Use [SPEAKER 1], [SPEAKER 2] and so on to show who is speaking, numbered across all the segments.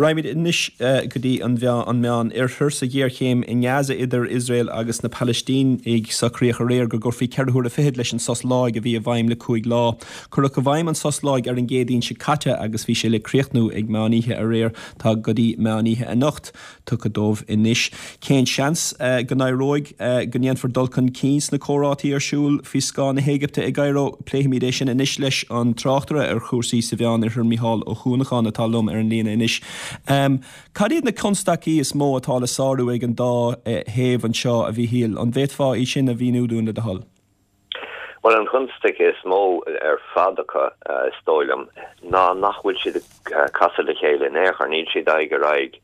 [SPEAKER 1] Raghaimid anois go dtí an Meán Oirthear. Sa ghéarchéim i nGaza idir Iosrael agus na Palaistínigh, socraíodh aréir go gcuirfí 4 huaire fichead leis an sos láig a bhí i bhfeidhm le 5 lá. Cuireadh i bhfeidhm an sos láig ar an gCéadaoin seo caite agus bhí sé le críochnú ag meán oíche aréir. Tá go dtí meán oíche anocht. tugtha dóibh anois. Cén seans go n-éireoidh, go ndéanfar dul chun cinn sna comhráití ar siúl faoi scáth na hÉigipte i gCairo? Pléifimid é sin anois leis an tráchtaire ar chúrsaí sa Mheán Oirthear, Micheál Ó Cuanacháin, atá liom ar an líne anois. Cad iad na constaicí is mó atá le sárú ag an dá thaobh anseo, a Mhíchíl? An bhféadfá iad sin a mhíniú dúinn, le do thoil?
[SPEAKER 2] Bhuel, an chonstaic is mó ar fad acu, is dóigh liom, ná nach bhfuil siad ag casadh le chéile in aon chor. Níl siad aghaidh ar aghaidh,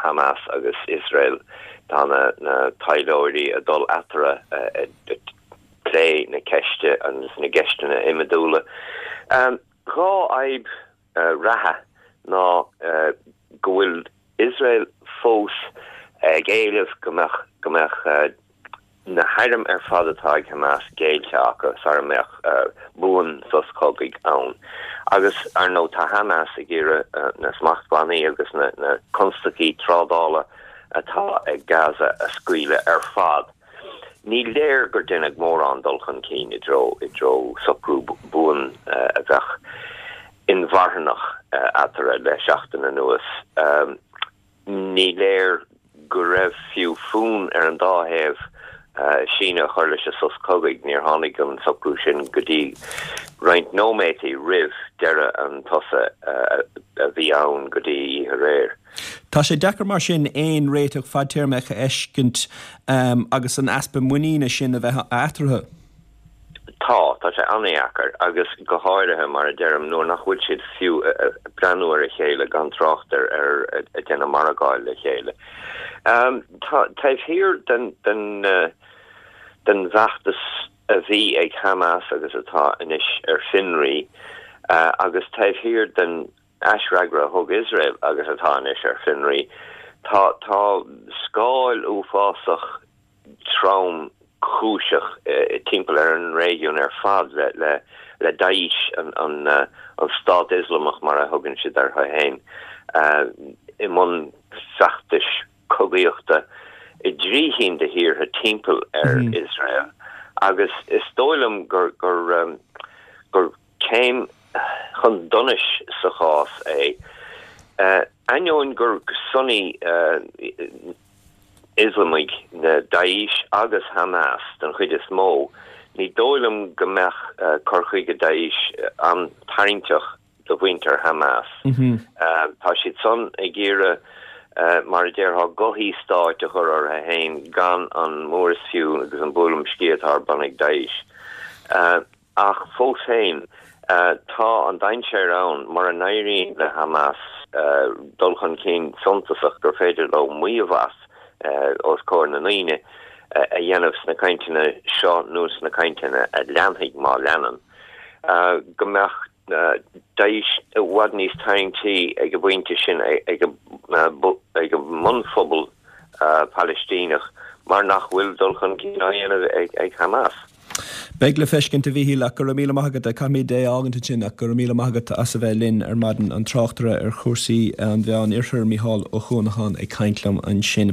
[SPEAKER 2] Hamas agus Iosrael. Tá na taidhleoirí ag dul eatarthu ag plé na ceiste agus na gceisteanna iomadúla. 2 fhadhb reatha ná go bhfuil Iosrael fós ag éileamh go mbeadh go mbeadh na hairm ar fad atá ag Hamas géillte acu sara mbeadh buan-sos cogaidh ann. Agus, ar ndóigh, tá Hamas ag iarraidh na smachtbhannaí agus na constaicí trádála atá ag Gaza a scaoileadh ar fad. Ní léir gur deineadh mórán dul chun cinn i dtreo i dtreo socrú buan a bheadh inmharthanach eatarthu le seachtain anuas. Ní léir go raibh fiú fonn ar an dá thaobh síneadh a chur leis an sos cogaidh. Níor tháinig an socrú sin go dtí roinnt nóiméataí roimh deireadh an tsosa a bhí ann go dtí oíche aréir.
[SPEAKER 1] Tá sé deacair mar sin aon réiteach fadtéarmach a fheiscint agus an easpa muiníne sin a bheith eatarthu.
[SPEAKER 2] Tá, tá sé an-dheacair agus go háirithe, mar a deirim, nuair nach bhfuil siad fiú ag breathnú ar a chéile gan trácht ar ar ag déanamh margáil le chéile. Tá, taobh thiar den den den bhfeachtas a bhí ag Hamas agus atá anois ar fionraí agus taobh thiar den aisfhreagra a thug Iosrael agus atá anois ar fionraí, tá tá scáil uafásach tromchúiseach timpeall ar an réigiún ar fad le le Daesh, an an Stát Ioslamach mar a thugann siad orthu féin, i mbun feachtais cogaíochta i dtrí chinn de thíortha timpeall ar Iosrael agus is dóigh liom gur gur gur céim chun donais sa chás é, ainneoin gur Sunni Ioslamaigh na Daesh agus Hamas den chuid is mó, ní dóigh liom go mbeadh cur chuige Daesh an-tarraingteach do mhuintir Hamas. Tá siad san ag iarraidh, mar a déarfá, gothaí stáit a chur orthu féin gan an mór is fiú agus an buaileam sciath atá ar bun ag Daesh. Ach fós féin, tá an dainséar ann, mura n-éiríonn le Hamas dul chun cinn suntasach gur féidir leo maíomh as os comhair na ndaoine a dhéanamh sna cainteanna seo nó sna cainteanna a leanfaidh, má leanann, go mbeadh Daesh i bhfad níos tarraingtí ag an bpointe sin ag an mbunphobal Palaistíneach mar nach bhfuil dul chun cinn á dhéanamh ag Hamas.
[SPEAKER 1] Beidh le feiscint, a Mhíchíl, ach go raibh míle maith agat. Caithfimid é a fhágaint ansin ach go raibh míle maith agat as a bheith linn ar maidin. An tráchtaire ar chúrsaí an Mheán Oirthir, Micheál Ó Cuanacháin ag caint liom ansin.